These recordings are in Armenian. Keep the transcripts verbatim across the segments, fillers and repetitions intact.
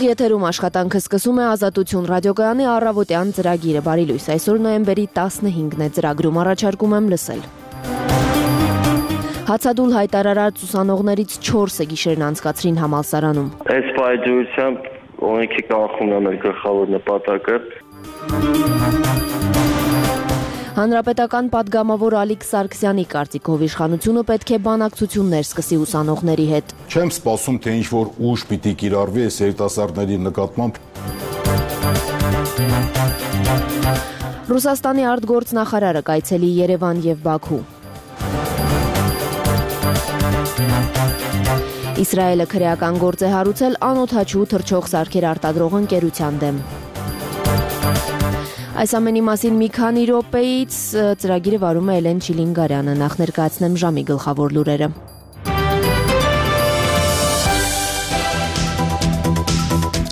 Ուղիղ եթերում աշխատանքը սկսում է Ազատություն ռադիոկայանի առավոտյան ծրագիրը։ Բարի լույս, այսօր նոյեմբերի տասնհինգն է, ծրագրում առաջարկում եմ լսել։ Հացադուլ հայտարարած ուսանողներից չորսը գիշերն անցկացրին համալսարանում։ Այս պայծրությամբ օրենքի կանխումն է մեր գլխավոր նպատակը։ Հանրապետական պատգամավոր Ալիկ Սարգսյանի կարծիքով իշխանությունը պետք է բանակցություններ սկսի ուսանողների հետ։ Չեմ սպասում, թե ինչ-որ ուժ պիտի կիրառվի այս երիտասարդների նկատմամբ։ Ռուսաստանի արտգործնախարարը կայցելի Երևան եւ Բաքու։ Իսրայելը քրեական գործ է հարուցել անօդաչու թռչող սարքեր արտադրող ընկերության դեմ։ Այս ամենի մասին մի քանի րոպեից ծրագիրը վարում է Էլեն Չիլինգարյանը, նախ ներկայացնեմ ժամի գլխավոր լուրերը։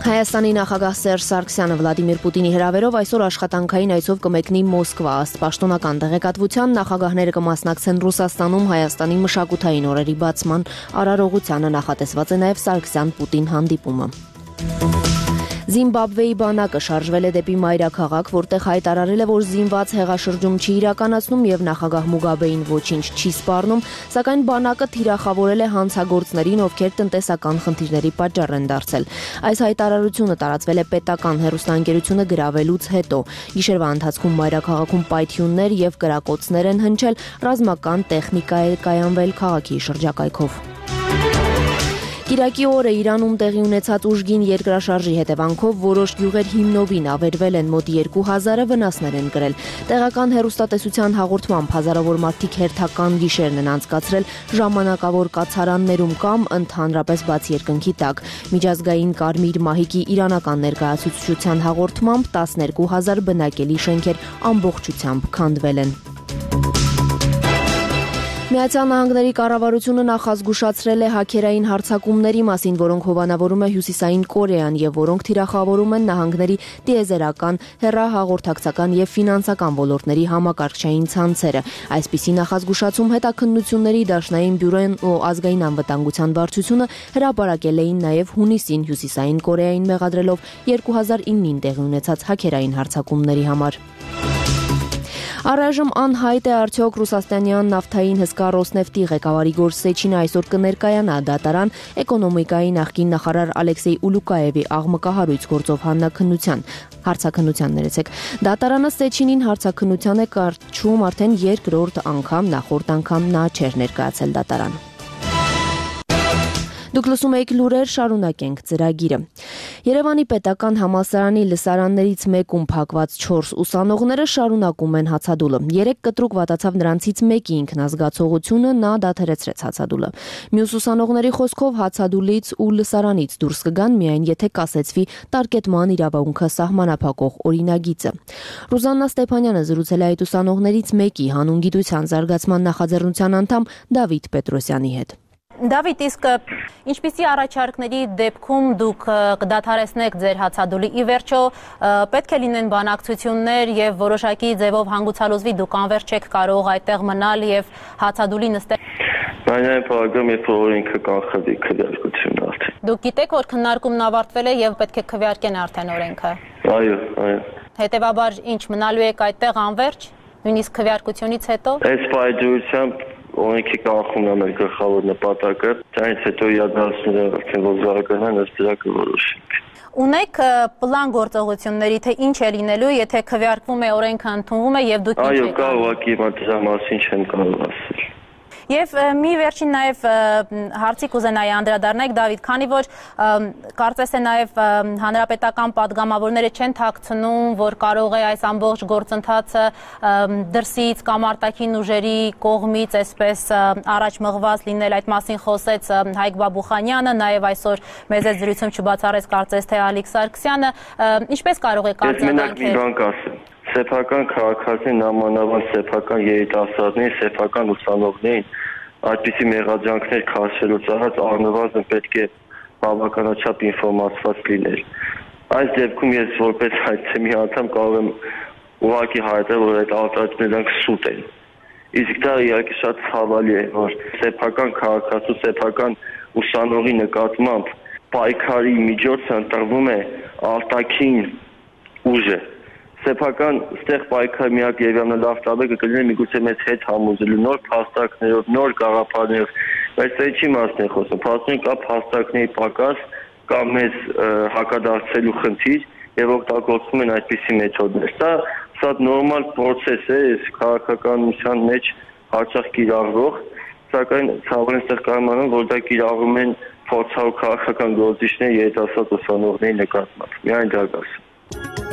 Հայաստանի նախագահ Սերժ Սարգսյանը Վլադիմիր Պուտինի հրավերով այսօր աշխատանքային այցով կմեկնի Մոսկվա, ըստ պաշտոնական տեղեկատվության նախագահները կմասնակցեն Ռուսաստանում Հայաստանի մշակութային օրերի բացման արարողությանը, նախատեսված է նաև Սարգսյան-Պուտին հանդիպումը։ Զիմբաբվեի բանակը շարժվել է դեպի մայրաքաղաք, որտեղ հայտարարել է, որ զինված հեղաշրջում չի իրականացնում եւ նախագահ Մուգաբեին ոչինչ չի սպառնում, սակայն բանակը թիրախավորել է հանցագործներին, ովքեր տնտեսական խնդիրների պատճառ են դարձել։ Այս հայտարարությունը տարածվել է պետական հեռուստաընկերությունը գրավելուց հետո։ Գիշերվա ընթացքում մայրաքաղաքում պայթյուններ եւ կրակոցներ են հնչել, ռազմական տեխնիկա է կայանվել քաղաքի շրջակայքով։ Կիրակի օրը Իրանում տեղի ունեցած ուժգին երկրաշարժի հետևանքով որոշ գյուղեր հիմնովին ավերվել են, մոտ երկու հազարը վնասներ են կրել։ Տեղական հեռուստատեսության հաղորդմամբ հազարավոր մարդիկ հերթական գիշերն են անցկացրել ժամանակավոր կացարաններում կամ ընդհանրապես բաց երկնքի տակ։ Միջազգային Կարմիր մահիկի իրանական ներկայացուցչության հաղորդմամբ տասներկու հազար բնակելի շենքեր ամբողջությամբ քանդվել են։ Միացյալ Նահանգների կառավարությունը նախազգուշացրել է հաքերային հարձակումների մասին, որոնք հովանավորում է Հյուսիսային Կորեան եւ որոնք թիրախավորում են նահանգների տիեզերական, հեռահաղորդակցական եւ ֆինանսական ոլորտների համակարգչային ցանցերը։ Այսպիսի նախազգուշացում հետաքննությունների դաշնային բյուրոն ու ազգային անվտանգության վարչությունը հրապարակել էին նաեւ հունիսին Հյուսիսային Կորեային մեղադրելով երկու հազար իննին տեղի ունեցած հաքերային հարձակումների համար։ Առայժմ անհայտ է արդյոք ռուսաստանյան նավթային հսկա Ռոսնեֆտի ղեկավարի Իգոր Սեչինը այսօր կներկայանա դատարան էկոնոմիկայի նախկին նախարար Ալեքսեյ Ուլուկաևի աղմկահարույց գործով հանրաքննության հարցաքննության ներեցեք։ Դատարանը Սեչինին հարցաքննության է կարճում արդեն երկրորդ անգամ, նախորդ անգամ նա չէր ներկայացել դատարան։ Դուք լսում եք լուրեր, շարունակենք ծրագիրը։ Երևանի պետական համալսարանի լսարաններից մեկում փակված չորս ուսանողները շարունակում են հացադուլը։ Երեք կտրուկ վատացավ նրանցից մեկի ինքնազգացողությունը, նա դադարեցրեց հացադուլը։ Մյուս ուսանողների խոսքով հացադուլից ու լսարանից դուրս կգան միայն եթե կասեցվի տարկետման իրավունքը սահմանափակող օրինագիծը։ Ռուզաննա Ստեփանյանը զրուցել է այդ ուսանողներից մեկի հանուն գիտության զարգացման նախաձեռնության անդամ Դավիթ Պետրոսյանի հետ։ Դավիթ, իսկ ինչպիսի առաջարկների դեպքում դուք կդադարեցնեք ձեր հացադուլի, ի վերջո պետք է լինեն բանակցություններ եւ որոշակի ձևով հանգուցալուզվի, դուք անverջ չեք կարող այդտեղ մնալ եւ հացադուլի նստել։ Այն փոխում է օրենքը կանխվի քվեարկությունն արդեն։ Դուք գիտեք, որ քննարկումն ավարտվել է եւ պետք է քվեարկեն արդեն օրենքը։ Այո, այո։ Հետեւաբար ինչ մնալու եք այդտեղ անverջ, նույնիսկ քվեարկությունից հետո։ Այս պայծրությամբ օրենքի կանխումն է մեր գլխավոր նպատակը, դրանից հետո իրադարձությունները արդեն որ զարգանան, ըստ դրա կորոշենք։ Ունեք պլան գործողությունների, թե ինչ է լինելու, եթե քվեարկվում է օրենքը ընդունվում է եւ դուք ինչ եք։ Այո, կա ուղղակի հիմա դրա մասին չեմ կարող ասել։ Եվ մի վերջին նաև հարցի կուզենայի անդրադառնալ, Դավիթ, քանի որ կարծես է նաև հանրապետական պատգամավորները չեն թաքցնում, որ կարող է այս ամբողջ գործընթացը դրսից կամ արտաքին ուժերի կողմից այսպես առաջ մղված լինել, այդ մասին խոսեց Հայկ Բաբուխանյանը, նաև այսօր մեծ զրույցում չբացառեց կարծես թե Ալիկ Սարգսյանը, ինչպես կարող եք արձագանքել։ Սեփական քաղաքացին նամանավան սեփական երիտասարդներին, սեփական ուսանողներին այդպիսի մեղադրանքներ քաշելուց առաջ առնվազն պետք է բավականաչափ ինֆորմացված լինել։ Այս դեպքում ես որպես հայցեմի անդամ կարող եմ ուղղակի հայտնել, որ այդ արտահայտությունները սուտ են։ Իսկ դա իհարկե շատ ցավալի է, որ սեփական քաղաքացու, սեփական ուսանողի նկատմամբ պայքարի միջոցը ընտրվում է արտաքին ուժը։ Սեփական ստեղ պայքարի միակ Երևանը լավ տարբեր կլինի միգուցե մեծ հետ համոզելու նոր փաստարկներով, նոր գաղափարներով, բայց դա ինչի մասն է խոսում։ Փաստորեն կա փաստարկների պակաս, կա մեծ հակադարձելու խնդիր եւ օգտագործում են այդպիսի մեթոդներ։ Սա սա նորմալ process է, քաղաքականության մեջ հաճախ կիրառվող, սակայն ցավոք ստեղ կարողանում որ դա կիրառում են փորձառու քաղաքական գործիչներ երիտասարդ ուսանողների նկատմամբ։ Միայն դա կասեմ։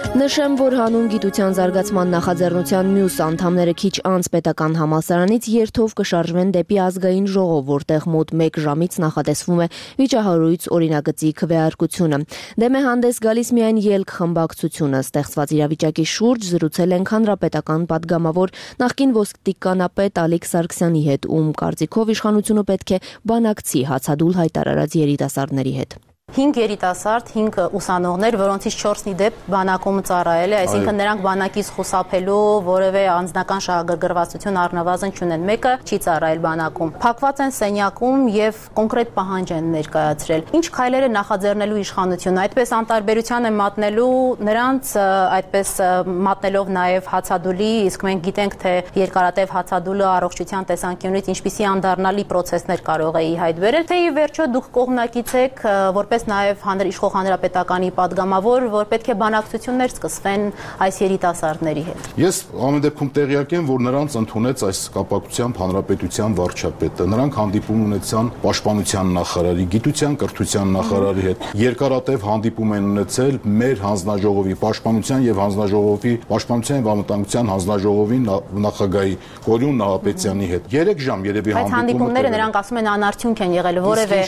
Նշեմ, որ հանուն գիտության զարգացման նախաձեռնության մյուս անդամները քիչ անց պետական համալսարանից երթով կշարժվեն դեպի ազգային ժողով, որտեղ մոտ մեկ ժամից նախատեսվում է վիճահարույց օրինագծի քվեարկությունը։ Դեմ է հանդես գալիս միայն ելք խմբակցությունը։ Ստեղծված իրավիճակի շուրջ զրուցել ենք հանրապետական պատգամավոր նախկին ոստիկանապետ Ալիկ Սարգսյանի հետ, ում կարծիքով իշխանությունը պետք է բանակցի հացադուլ հայտարարած երիտասարդների հետ։ Հինգ երիտասարդ, հինգ ուսանողներ, որոնցից չորսի դեպ բանակում ծառայել է, այսինքն նրանք բանակից խուսափելու որևէ անձնական շահագրգռվածություն առնվազն չունեն, մեկը չի ծառայել բանակում։ Փակված են սենյակում եւ կոնկրետ պահանջ են ներկայացրել։ Ինչ քայլեր է նախաձեռնելու իշխանությունը, այդպես անտարբերության է մատնելու նրանց, այդպես մատնելով նաեւ հացադուլի, իսկ մենք գիտենք, թե երկարատև հացադուլը առողջության տեսանկյունից ինչպիսի անդառնալի process-ներ կարող է ի հայտ բերել, թե ի վերջո դուք կողմնակից եք, որպես նաև իշխող հանրապետականի պատգամավոր, որ պետք է բանակցություններ սկսվեն այս երիտասարդների հետ։ Ես ամեն դեպքում տեղյակ եմ, որ նրանց ընդունեց այս կապակցությամբ հանրապետության վարչապետը։ Նրանք հանդիպում ունեցան պաշտպանության նախարարի, գիտության, կրթության նախարարի հետ։ Երկարատև հանդիպում են ունեցել մեր հանձնաժողովի պաշտպանության եւ հանձնաժողովի պաշտպանության եւ անվտանգության հանձնաժողովի նախագահի Կորյուն Նահապետյանի հետ։ երեք ժամ երևի հանդիպում։ Այդ հանդիպումները նրանք ասում են անարդյունք են եղել, որևէ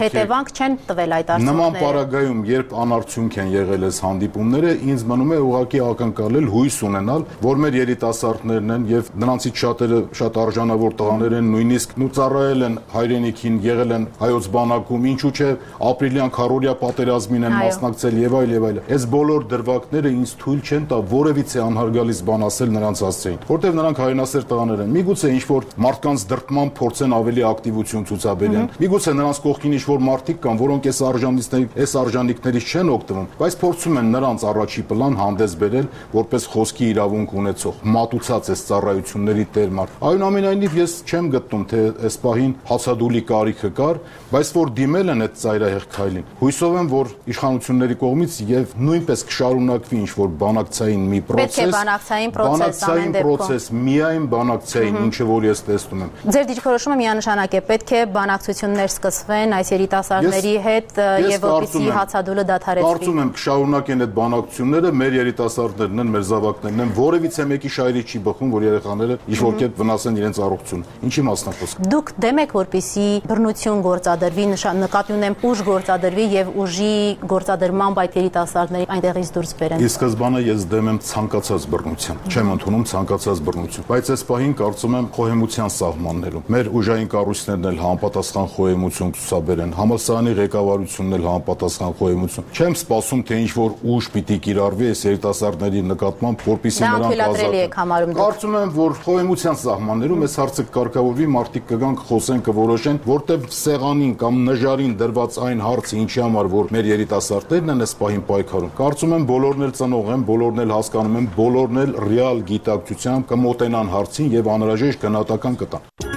հետևանք չեն տվել այդ Նման պարագայում, երբ անարդյունք են եղել այս հանդիպումները, ինձ մնում է ուղղակի ակնկալել, հույս ունենալ, որ մեր երիտասարդներն են եւ նրանցից շատերը շատ արժանավոր տղաներ են, նույնիսկ նու ծառայել են հայրենիքին, եղել են հայոց բանակում, ինչու՞ չէ ապրիլյան քարորիա պատերազմին են մասնակցել եւ այլ եւ այլ։ Այս բոլոր դրվագները ինձ թույլ չեն տա որևիցե անհարգալից բան ասել նրանց հասցեին, որտեղ նրանք հայրենասեր տղաներ են։ Միգուցե ինչ որ մարդկանց դրտման փորձեն ավելի ակտիվություն ցուցաբերեն։ Միգուցե նրանց կողքին ինչ որ մարդիկ կան, որոնք այս այս արժանինքներից չեն օգտվում, բայց փորձում են նրանց առաջի պլան հանդես բերել որպես խոսքի իրավունք ունեցող, մատուցած այս ծառայությունների տերմար։ Այնուամենայնիվ ես չեմ գտնում, թե այս պահին հացադուլի կարիքը կար, բայց որ դիմել են այդ ծայրահեղ քայլին։ Հույսով եմ, որ իշխանությունների կողմից եւ նույնպես կշարունակվի ինչ որ բանակցային մի process, բանակցային process, միայն բանակցային, ինչը որ ես տեսնում եմ։ Ձեր դիրքորոշումը միանշանակ է, պետք է բանակցություններ սկսվեն այս երիտասարդների հետ եւ որպեսզի հացադուլը դադարեցվի։ Կարծում եմ կշարունակեն այդ բանակցությունները, մեր երիտասարդներն են, մեր զավակներն են, որևիցե մեկի շայրի չի բխում, որ երեխաները ինչ-որ կերպ վնասեն իրենց առողջությունը։ Ինչի մասն է խոսքը։ Դուք դեմ եք, որպեսզի բռնություն գործադրվի, նկատի ունեմ ուժ գործադրվի եւ ուժի գործադրմամբ այդ երիտասարդների այնտեղից դուրս բերեն։ Ի սկզբանե ես դեմ եմ ցանկացած բռնության, չեմ ընդունում ցանկացած բռնություն, բայց այս պահին կարծում եմ խոհեմության սահմաններում մեր ուժային կառույցներն էլ համապատասխան խոհեմություն ցուցաբերեն, համալսարանի ղեկավարությունն էլ համապատասխան խոհեմություն։ Չեմ սպասում, թե ինչ որ ուժ պիտի կիրառվի այս երիտասարդների նկատմամբ, որպեսզի նրանք ազատեն։ Կարծում եմ, որ խոհեմության սահմաններում այս հարցը կարգավորվի, մարդիկ կգան, կխոսեն, կորոշեն, որտեղ սեղանին կամ նժարին դրված այն հարցը, ինչի համար որ մեր երիտասարդներն են այս պահին պայքարում։ Կարծում եմ բոլորն էլ ծնող են, բոլորն էլ հասկանում են, բոլորն էլ ռեալ գիտակցությամբ կմոտենան հարցին եւ անհրաժեշտ գնահատական կտան։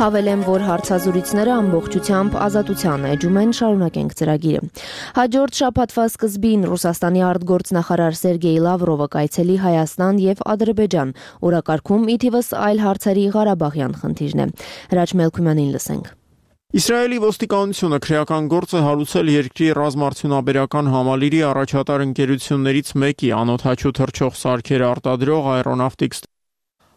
Հավելեմ, որ հարցազրույցները ամբողջությամբ ազատության էջում են, շարունակենք ծրագիրը։ Հաջորդ շաբաթվա սկզբին Ռուսաստանի արտգործնախարար Սերգեյ Լավրովը կայցելի Հայաստան եւ Ադրբեջան, օրակարգում ի թիվս այլ հարցերի Ղարաբաղյան խնդիրն է։ Հրաչ Մելքումյանին լսենք։ Իսրայելի ոստիկանությունը քրեական գործ է հարուցել երկրի ռազմարդյունաբերական համալիրի առաջատար ընկերություններից մեկի անօդաչու թռչող սարքեր արտադրող Aeronautics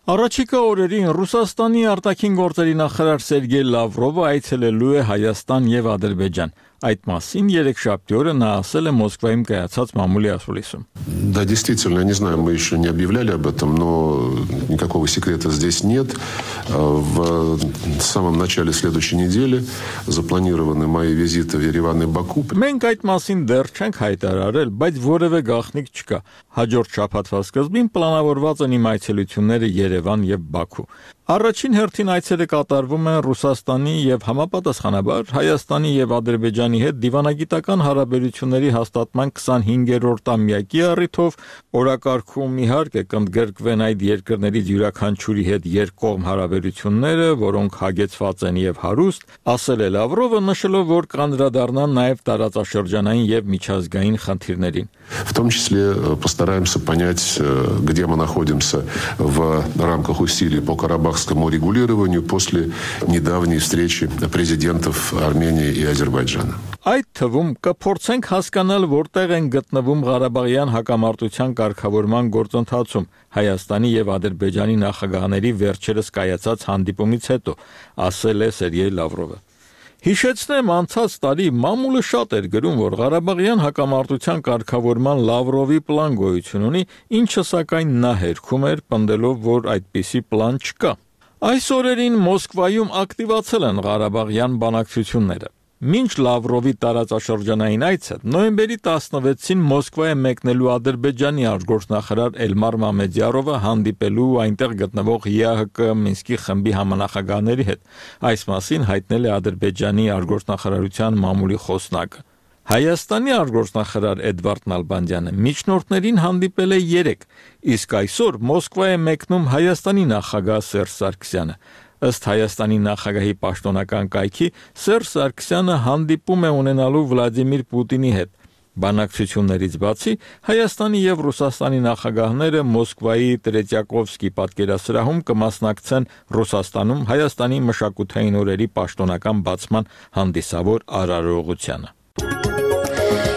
Առաջիկա օրերին Ռուսաստանի արտաքին գործերի նախարար Սերգեյ Լավրովը այցելելու է Հայաստան եւ Ադրբեջան։ Այդ մասին երեքշաբթի օրը նա ասել է Մոսկվայում կայացած մամուլի ասուլիսում։ Да, действительно, не знаю, мы еще не объявляли об этом, но никакого секрета здесь нет. В самом начале следующей недели запланированы мои визиты в Ереван и Баку. Մենք այդ մասին դեռ չենք հայտարարել, բայց որևէ գաղտնիք չկա։ Հաջորդ շաբաթվա սկզբին պլանավորված են իմ այցելությունները Երևան եւ Բաքու։ Առաջին հերթին այցերը կատարվում են Ռուսաստանի եւ համապատասխանաբար Հայաստանի եւ Ադրբեջանի հետ դիվանագիտական հարաբերությունների հաստատման քսանհինգերորդ ամյակի առիթով օրակարգում իհարկե կընդգրկվեն այդ երկրներից յուրաքանչյուրի հետ երկկողմ հարաբերությունները, որոնք հագեցված են եւ հարուստ, ասել է Լավրովը, նշելով, որ կանդրադառնան նաեւ տարածաշրջանային եւ միջազգային խնդիրներին։ В том числе постараемся понять, где мы находимся в рамках усилий по карабахскому регулированию после недавней встречи президентов Армении и Азербайджана. Այդ թվում կփորձենք հասկանալ, որտեղ են գտնվում Ղարաբաղյան հակամարտության կարգավորման գործընթացում Հայաստանի եւ Ադրբեջանի նախագահների վերջերս կայացած հանդիպումից հետո, ասել է Սերգեյ Լավրովը։ Հիշեցնեմ, անցած տարի մամուլը շատ էր գրում, որ Ղարաբաղյան հակամարտության կարգավորման Լավրովի պլան գոյություն ունի, ինչը սակայն նա հերքում էր, պնդելով, որ այդպիսի պլան չկա։ Այս օրերին Մոսկվայում ակտիվացել են Ղարաբաղյան բանակցությունները։ Մինչ Լավրովի տարածաշրջանային այցը նոյեմբերի տասնվեցին Մոսկվա է մեկնելու Ադրբեջանի արտգործնախարար Էլմար Մամեդյարովը հանդիպելու այնտեղ գտնվող ԵԱՀԿ Մինսկի խմբի համանախագահների հետ։ Այս մասին հայտնել է Ադրբեջանի արտգործնախարարության մամուլի խոսնակը։ Հայաստանի արտգործնախարար Էդվարդ Նալբանդյանը միջնորդներին հանդիպել է երեք, իսկ այսօր Մոսկվա է մեկնում Հայաստանի նախագահ Սերժ Սարգսյանը։ Ըստ Հայաստանի նախագահի պաշտոնական կայքի Սերժ Սարգսյանը հանդիպում է ունենալու Վլադիմիր Պուտինի հետ։ Բանակցություններից բացի Հայաստանի եւ Ռուսաստանի նախագահները Մոսկվայի Տրետյակովսկի պատկերասրահում կմասնակցեն Ռուսաստանում Հայաստանի մշակութային օրերի պաշտոնական բացման հանդիսավոր արարողությանը։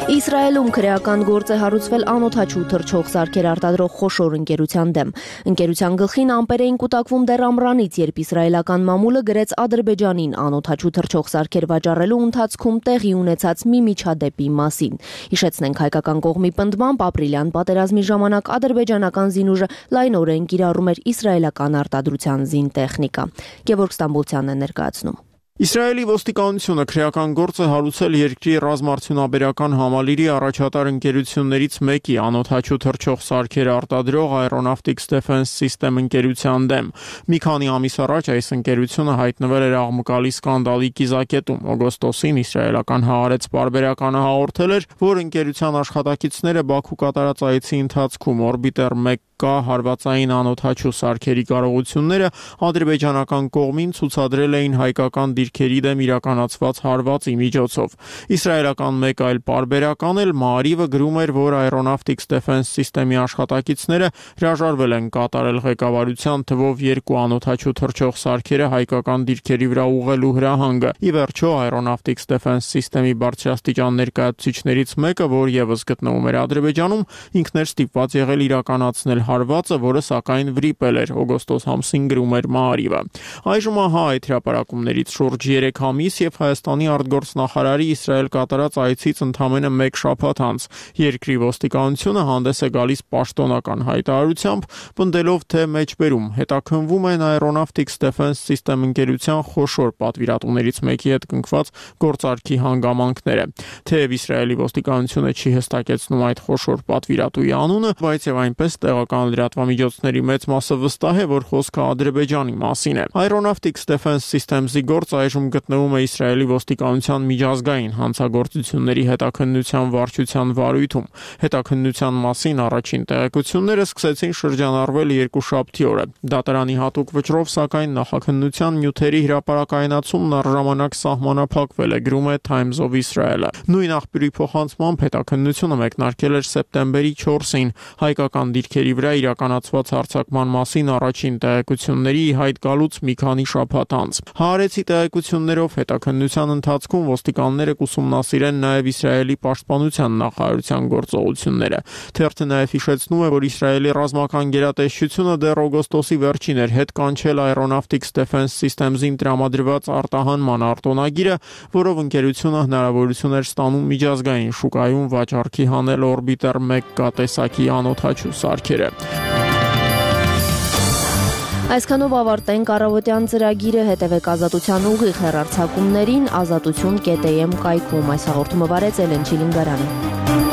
Իսրայելում քրեական գործ է հարուցվել անօթաչու թռչող սարքեր արտադրող խոշոր ընկերության դեմ։ Ընկերության գլխին ամպեր էին կուտակվում դեռ ամռանից, երբ իսրայելական մամուլը գրեց Ադրբեջանին անօթաչու թռչող սարքեր վաճառելու ընթացքում տեղի ունեցած մի միջադեպի մասին։ Հիշեցնենք, հայկական կողմի պնդմամբ ապրիլյան պատերազմի ժամանակ ադրբեջանական զինուժը լայնորեն կիրառում էր իսրայելական արտադրության զինտեխնիկա։ Գևորգ Ստամբոլցյանն է ներկայացնում։ Իսրայելի ոստիկանությունը քրեական գործ է հարուցել երկրի ռազմարդյունաբերական համալիրի առաջատար ընկերություններից մեկի անօթաչու թռչող սարքեր արտադրող Aeronautics Defense System ընկերության դեմ։ Մի քանի ամիս առաջ այս ընկերությունը հայտնվել էր աղմկալի սկանդալի կիզակետում։ Օգոստոսին իսրայելական Հaaretz պարբերականը հաղորդել էր, որ ընկերության աշխատակիցները Բաքու կատարած այցի ընթացքում օրբիտեր մեկ կա հարվածային անօթաչու սարքերի կարողությունները ադրբեջանական կողմին ցուցադրել էին հայկական դիրքերի դեմ իրականացված հարվածի միջոցով։ Իսրայելական մեկ այլ պարբերական էլ Maariv-ը գրում էր, որ Aeronautics Defense System-ի աշխատակիցները հրաժարվել են կատարել ղեկավարության թվով երկու անօթաչու թռչող սարքերը հայկական դիրքերի վրա ուղղելու հրահանգը։ Ի վերջո Aeronautics Defense System-ի բարձրաստիճան ներկայացուցիչներից մեկը, որ եւս գտնվում էր Ադրբեջանում, ինքն էր ստիպված եղել իրականացնել հարվածը, որը սակայն վրիպել էր, օգոստոս ամսին գրում էր Maariv-ը։ Այժմ ահա այդ հրապարակումներից շուրջ երեք ամիս եւ Հայաստանի արտգործնախարարի Իսրայել կատարած այցից ընդամենը մեկ շաբաթ անց երկրի ոստիկանությունը հանդես է գալիս պաշտոնական հայտարարությամբ, պնդելով, թե մեջբերում հետաքննվում են Aeronautics Defense System ընկերության խոշոր պատվիրատուներից մեկի հետ կնքված գործարքի հանգամանքները։ Թեև Իսրայելի ոստիկանությունը չի հստակեցնում այդ խոշոր պատվիրատուի անունը, բայց եւ այնպես տեղական լրատվամիջոցների մեծ մասը վստահ է, որ խոսքը Ադրբեջանի մասին է։ Aeronautics Defense Systems-ի գործ այժմ գտնվում է Իսրայելի ոստիկանության միջազգային հանցագործությունների հետաքննության վարչության վարույթում։ Հետաքննության մասին առաջին տեղեկությունները սկսեցին շրջանառվել երկուշաբթի օրը։ Դատարանի հատուկ վճռով, սակայն նախաքննության նյութերի հրապարակայնացումն առժամանակ սահմանափակվել է, գրում է Times of Israel-ը։ Նույն աղբյուրի փոխանցմամբ հետաքննությունը մեկնարկել էր սեպտեմբերի չորսին հայկական դիրքերի վրա իրականացված հարձակման մասին առաջին տեղեկությունների հայտ գալուց մի քանի շաբաթ անց։ Հaaretz-ի տեղեկություններով հետաքննության ընթացքում ոստիկանները կուսումնասիրեն նաև Իսրայելի պաշտպանության նախարարության գործողությունները։ Թերթը նաև հիշեցնում է, որ Իսրայելի ռազմական գերատեսչությունը դեռ օգոստոսի վերջին էր հետ կանչել Aeronautics Defense Systems-ին տրամադրված արտահանման արտոնագիրը, որով ընկերությունը հնարավորություն էր ստանում միջազգային շուկայում վաճառքի հանել օրբիտեր մեկ կա տեսակի անօթաչու սարքերը։ Այսքանով ավարտենք առավոտյան ծրագիրը, հետևեք Ազատության ուղիղ հեռարձակումներին ազատություն կետ էմ կայքում։ Այս հաղորդումը վարեց Էլեն Չիլինգարյանը։